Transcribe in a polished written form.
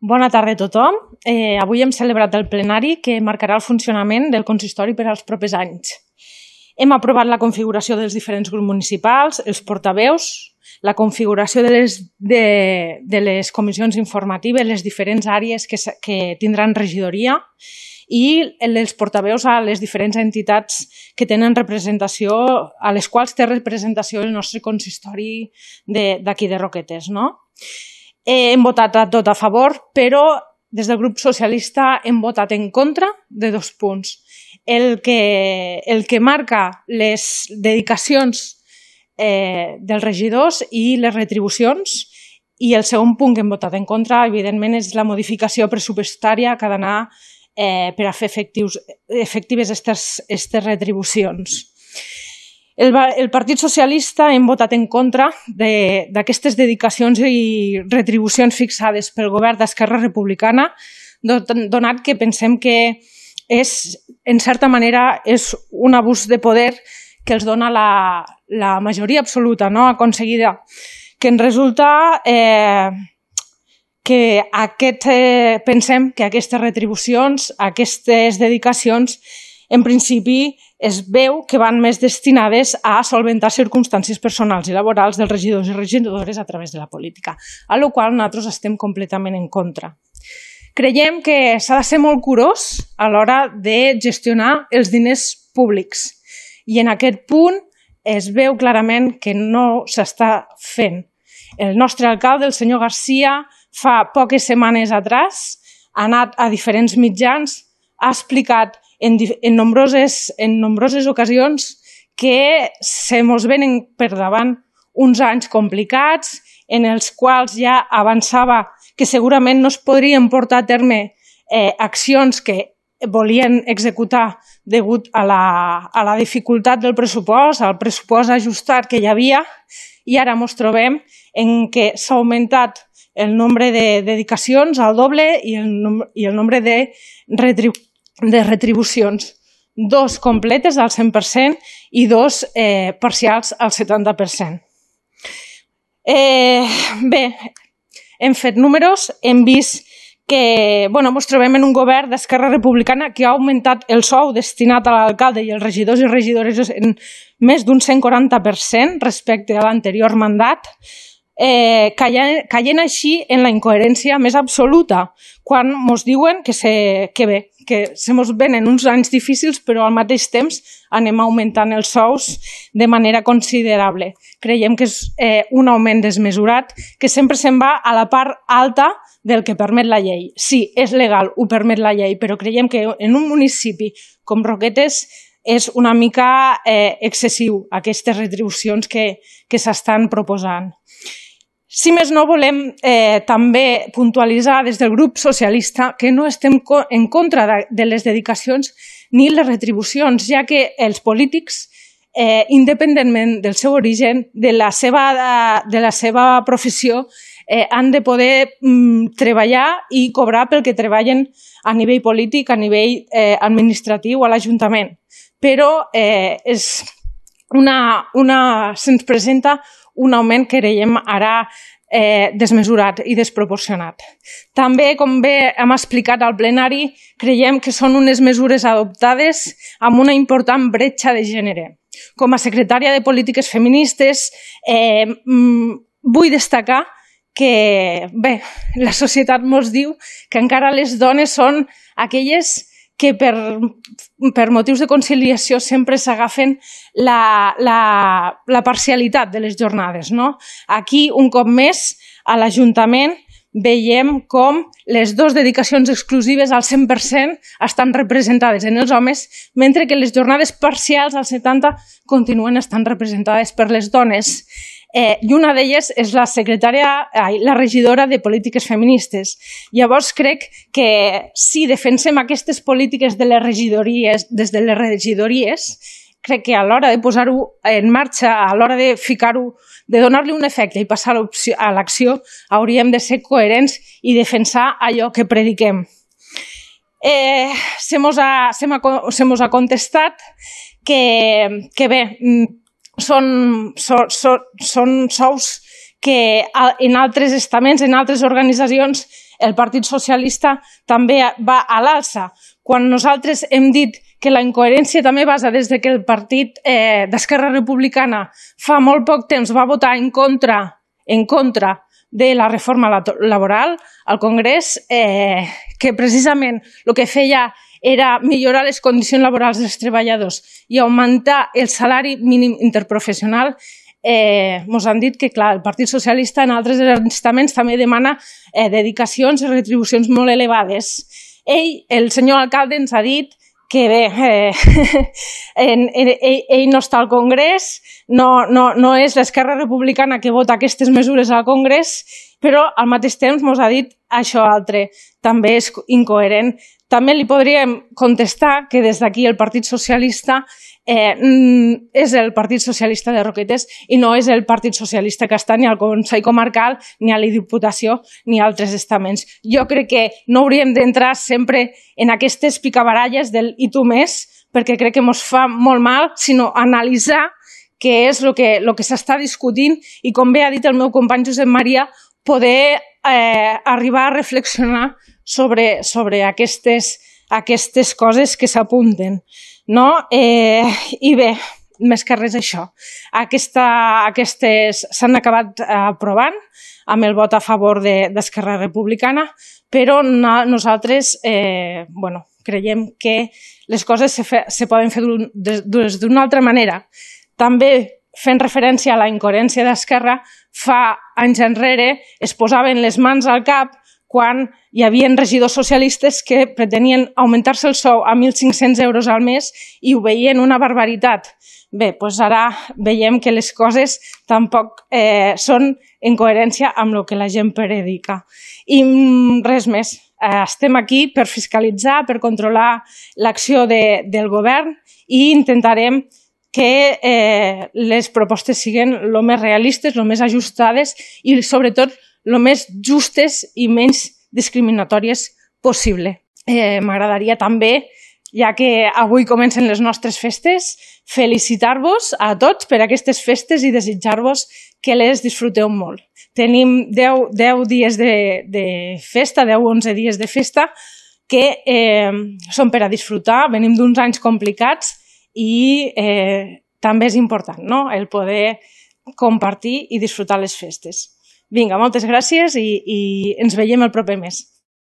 Bona tarda a tothom. Avui hem celebrat el plenari que marcarà el funcionament del consistori per als propers anys. Hem aprovat la configuració dels diferents grups municipals, els portaveus, la configuració de les comissions informatives, les diferents àrees que tindran regidoria i els portaveus a les diferents entitats que tenen representació, a les quals té representació el nostre consistori d'aquí de Roquetes, no? Hem votat a tot a favor, però des del grup socialista hem votat en contra de 2 punts. El que marca les dedicacions dels regidors i les retribucions, i el segon punt que hem votat en contra, evidentment, és la modificació pressupostària que ha d'anar per a fer efectives aquestes retribucions. El Partit Socialista hem votat en contra d'aquestes dedicacions i retribucions fixades pel govern d'Esquerra Republicana, donat que pensem que en certa manera és un abús de poder que els dona la majoria absoluta aconseguida, que ens resulta que pensem que aquestes retribucions, aquestes dedicacions, en principi es veu que van més destinades a solventar circumstàncies personals i laborals dels regidors i regidores a través de la política, a la qual nosaltres estem completament en contra. Creiem que s'ha de ser molt curós a l'hora de gestionar els diners públics i en aquest punt es veu clarament que no s'està fent. El nostre alcalde, el senyor Garcia, fa poques setmanes atrás ha anat a diferents mitjans, ha explicat en nombroses ocasions que se mos venen per davant uns anys complicats en els quals ja avançava que segurament no es podrien portar a terme accions que volien executar degut a la dificultat del pressupost, al pressupost ajustat que hi havia, i ara ens trobem en què s'ha augmentat el nombre de dedicacions al doble i el nombre de retribucions, 2 completes al 100% i 2 parcials al 70%. Bé, hem fet números, hem vist que ens trobem en un govern d'Esquerra Republicana que ha augmentat el sou destinat a l'alcalde i els regidors i regidores en més d'un 140% respecte a l'anterior mandat, caient així en la incoherència més absoluta, quan ens diuen que se mos venen uns anys difícils però al mateix temps anem augmentant els sous de manera considerable. Creiem que és un augment desmesurat que sempre se'n va a la part alta del que permet la llei. Sí, és legal, ho permet la llei, però creiem que en un municipi com Roquetes és una mica excessiu aquestes retribucions que s'estan proposant. Si més no, volem també puntualitzar des del grup socialista que no estem en contra de les dedicacions ni les retribucions, ja que els polítics, independentment del seu origen, de la seva professió, han de poder treballar i cobrar pel que treballen a nivell polític, a nivell administratiu, a l'Ajuntament. Però se'ns presenta un augment que creiem ara desmesurat i desproporcionat. També, com bé hem explicat al plenari, creiem que són unes mesures adoptades amb una important bretxa de gènere. Com a secretària de Polítiques Feministes, vull destacar que, bé, la societat ens diu que encara les dones són aquelles que per motius de conciliació sempre s'agafen la parcialitat de les jornades. Aquí, un cop més, a l'Ajuntament veiem com les 2 dedicacions exclusives al 100% estan representades en els homes, mentre que les jornades parcials al 70% continuen estant representades per les dones. I una d'elles és la regidora de Polítiques Feministes. Llavors crec que si defensem aquestes polítiques de les regidories, des de les regidories, crec que a l'hora de posar-ho en marxa, a l'hora de ficar-ho, de donar-li un efecte i passar a l'acció, hauríem de ser coherents i defensar allò que prediquem. Se mos ha contestat que bé, són sous que en altres estaments, en altres organitzacions, el Partit Socialista també va a l'alça. Quan nosaltres hem dit que la incoherència també basa des que el partit d'Esquerra Republicana fa molt poc temps va votar en contra de la reforma laboral al Congrés, que precisament el que feia era millorar les condicions laborals dels treballadors i augmentar el salari mínim interprofessional, ens han dit que, clar, el Partit Socialista en altres estaments també demana dedicacions i retribucions molt elevades. El senyor alcalde ens ha dit que bé, ell no està al Congrés, no és l'Esquerra Republicana que vota aquestes mesures al Congrés, però al mateix temps ens ha dit això altre, també és incoherent. També li podríem contestar que des d'aquí el Partit Socialista és el Partit Socialista de Roquetes i no és el Partit Socialista que està ni al Consell Comarcal, ni a la Diputació, ni a altres estaments. Jo crec que no hauríem d'entrar sempre en aquestes picabaralles del i tu més, perquè crec que ens fa molt mal, sinó analitzar què és el que s'està discutint i, com bé ha dit el meu company Josep Maria, poder arribar a reflexionar sobre aquestes coses que s'apunten. I bé, més que res això. Aquestes s'han acabat aprovant amb el vot a favor d'Esquerra Republicana, però nosaltres creiem que les coses se poden fer d'una altra manera. També, fent referència a la incoherència d'Esquerra, fa anys enrere es posaven les mans al cap quan hi havia regidors socialistes que pretenien augmentar-se el sou a 1.500 euros al mes i ho veien una barbaritat. Bé, doncs ara veiem que les coses tampoc són en coherència amb el que la gent predica. I res més. Estem aquí per fiscalitzar, per controlar l'acció del govern i intentarem que les propostes siguin el més realistes, el més ajustades i, sobretot, el més justes i menys discriminatòries possible. M'agradaria també, ja que avui comencen les nostres festes, felicitar-vos a tots per aquestes festes i desitjar-vos que les disfruteu molt. Tenim 10 dies de festa, 10-11 dies de festa, que són per a disfrutar. Venim d'uns anys complicats i també és important, no?, el poder compartir i disfrutar les festes. Vinga, moltes gràcies i ens veiem el proper mes.